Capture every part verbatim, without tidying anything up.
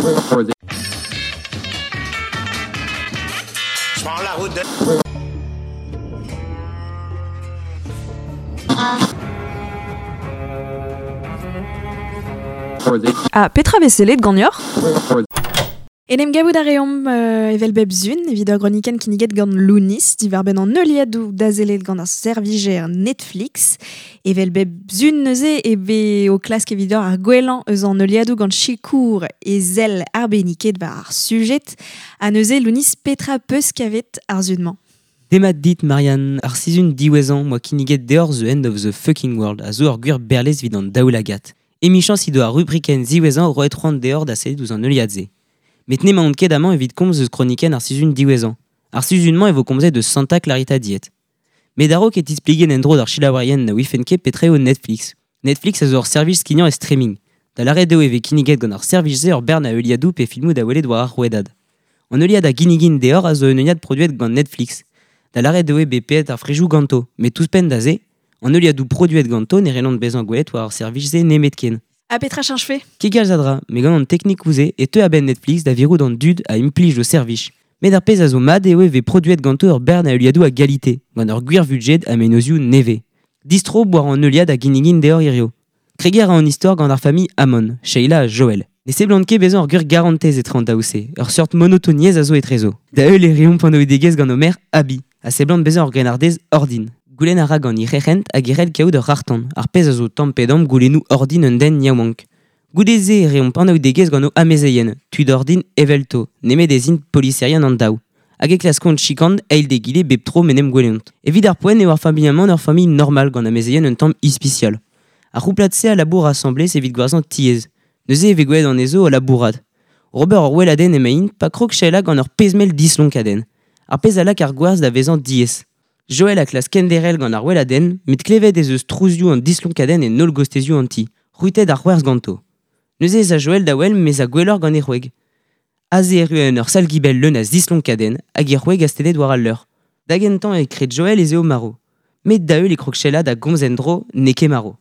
Je prends la route de... Ah, Petra veselet gagnor? En em gavout a reomp euh, evel bep zun, evit ur groniken kinniget gant Lounis, diwar benn an heuliadoù dazelet gant ar servijer Netflix. Evel bep zun neuze e be o klask evit ur ar gwellañ eus an heuliadoù gant sikour e zel arbeniket war ar sujet. Ha neuze Lounis Petra peus kavet ar zun-mañ. Demat dit Marianne, ar sizun diwezhañ moa kinniget deoc'h The End of the Fucking World a zo ur gwir berlez evit an daoulagad. Emichañs he doa ar rubrikenn ziwezhañ roet c'hoant deoc'h da sellet ouzh an heuliad-se. Met n'emaon ket amañ evit komz eus kronikenn ar sizhun diwezhañ. Ar sizhun-mañ e vo komzet eus Santa Clarita Diet. Met a-raok e tispligen en-dro d'ar selaouerien na ouifent ket petra eo Netflix. Netflix a zo ur servij skignañ e streaming. Da lâret eo e vez kinniget gant ar servij-se ur bern a heuliadoù pe filmoù da welet war ar rouedad. An heuliad a ginnigin deoc'h a zo un heuliad produet gant Netflix. Da lâret eo eo bet paeet ar frejoù ganto, met ouzhpenn da se, an heuliadoù produet ganto ne c'hellont bezañ gwelet war ar servij-se nemetken. Ha petra cheñchfe? Ket kalz a dra, met gant an teknikoù-se e teu a-benn Netflix da virout an dud a implij o servij. Met ar pezh a zo mat eo e vez produet ganto ur bern a heuliadoù a galite, gant ur gwir vudjed ha mennozhioù nevez. Distro war an heuliad a ginnigin deoc'h hirio. Kregiñ a ra an istor gant ar familh Amon, Sheila ha Joel. Ne seblant ket bezañ ur gwir garantez etre an daou-se, ur seurt monotoniezh a zo etrezo. Da heul e reomp anaoudegezh gant o merc'h Abby, a seblant bezañ ur grennardez ordin. Goulenn a ra gant he c'herent hag e c'hell kaout ur c'harr-tan, ar pezh a zo tamm pe damm goulennoù ordin un den yaouank. Goude-se e reomp anaoudegezh gant o amezeien, tud ordin evelto, nemet ez int poliserien an daou. Hag e klaskont chikant eil d'egile bep tro m'en em gwelont. Evit ar poent eo ar familh-mañ ur familh normal gant amezeien un tamm ispisial. Ar c'houplad-se a labour asambles evit gwerzhañ tiez. Neuze e vez gwelet anezho o labourat. Robert ur weladenn emaint pa krog Sheila gant ur pezh-mell dislonkadenn. Ar pezh a lak ar gwerzh da vezañ diaes. Joel a klask kenderc'hel gant ar weladenn, met klevet ez eus trouzioù an dislonkadenn en holl gostezioù an ti, c'hwitet ar c'hwerzh ganto. Neuze ez a Joel da wel mez a gwelloc'h gant e c'hwreg. Aze erru en ur sal-gibell leun a zislonkadenn hag e c'hwreg astennet war al leur. Da gentañ e kred Joel ez eo marv. Met da heul e krog Sheila da gomz en-dro n'eo ket marv.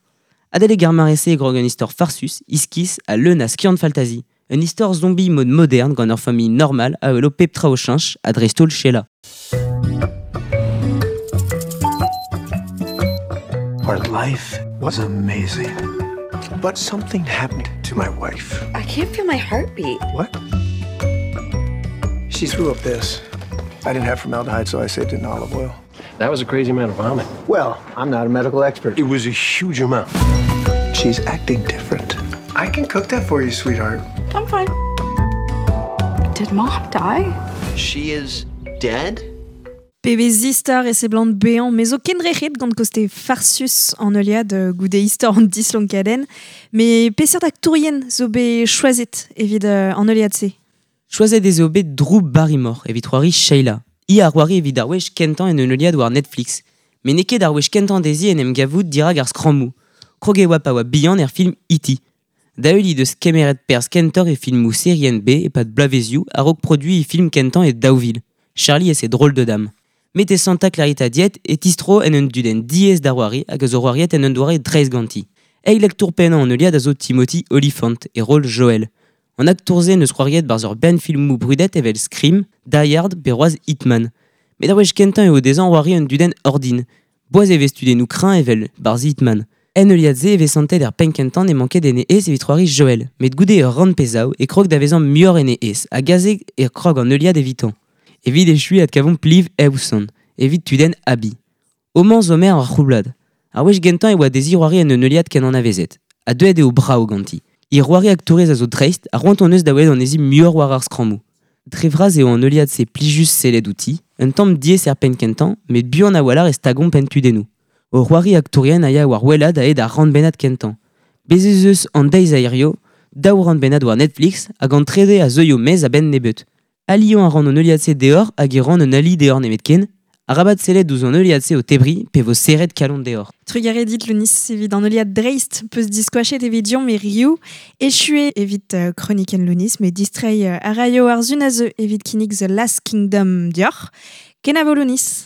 Adalek ar mare-se e grog un istor farsus, iskis ha leun a skiant-faltazi. Un istor zombie mode moderne gant ur familh normal a welo pep tra o cheñch ha dreist-holl Sheila. Our life was amazing. But something happened to my wife. I can't feel my heartbeat. What? She threw up this. I didn't have formaldehyde, so I saved it in olive oil. That was a crazy amount of vomit. Well, I'm not a medical expert. It was a huge amount. She's acting different. I can cook that for you, sweetheart. I'm fine. Did Mom die? She is dead? Pebezh istor e seblant bezañ, me zo kendrec'het gant koste farsus an heuliad goude istor an dislonkadenn, met peseurt aktourien zo bet choazet evit an heuliad-se? Choazet ez eo bet Drew Barrymore evit c'hoari Sheila. Hi a c'hoari evit ar wech kentañ en un heuliad war Netflix. Met n'eo ket ar wech kentañ dezhi en em gavout dirak ar skrammoù. Krog e oa pa oa bihan er film E T. Da heul he deus kemeret perzh kentoc'h e filmoù serien B e-pad bloavezioù a-raok produiñ e film kentañ e daou vil. Charlie et ses drôles de dames. Met e Santa Clarita Diet e tistro en un dudenn diaes da c'hoari hag a zo c'hoariet en un doare dreist ganti. Eil aktour pennañ an heuliad a zo Timothy Olyphant e rol Joel. An aktour-se neus c'hoariet barzh ur bern filmoù brudet evel Scream, Die Hard pe c'hoazh Hitman. Met ar wech kentañ eo dezhañ c'hoari un dudenn ordin. Boaz e vez tudennoù kreñv evel barzh Hitman. En heuliad-se e vez santet er penn kentañ ne manket en e aes evit c'hoari Joel, met goude ur rann pezhaou e krog da vezañ muioc'h en e aes, hag aze e krog an heuliad evitañ. Evit echuiñ adkavomp Liv Hewson, evit tudenn Abby. Homañ zo maer ar c'houblad. Ar wech gentañ e oa dezhi c'hoari en un heuliad ken anavezet, ha deuet eo brav ganti. He c'hoari aktourez a zo dreist ha c'hoant hon eus da welet anezhi muioc'h war ar skrammoù. Dre vras eo an heuliad-se plijus sellet outi, un tamm diaes er penn kentañ, met buan a-walc'h e stagomp en tudennoù. O c'hoari aktourien a ya war wellaat a-hed ar rannbennad kentañ. Bez ez eus an deiz a hirio, daou rannbennad war Netflix hag an trede a zeuio maez a-benn nebeut. Aliañ a ran an heuliad-se deoc'h hag e ran un ali deoc'h nemetken, arabat sellet ouzh an heuliad-se o tebriñ pe vo serret kalon deoc'h. Trugarez dit Lounis evit an heuliad dreist peus diskoachet evit diomp e riou, echue evit uh, kronikenn Lounis, met distreiñ uh, a raio ar zun a zeu evit kinnig The Last Kingdom dioc'h. Kenavo Lounis.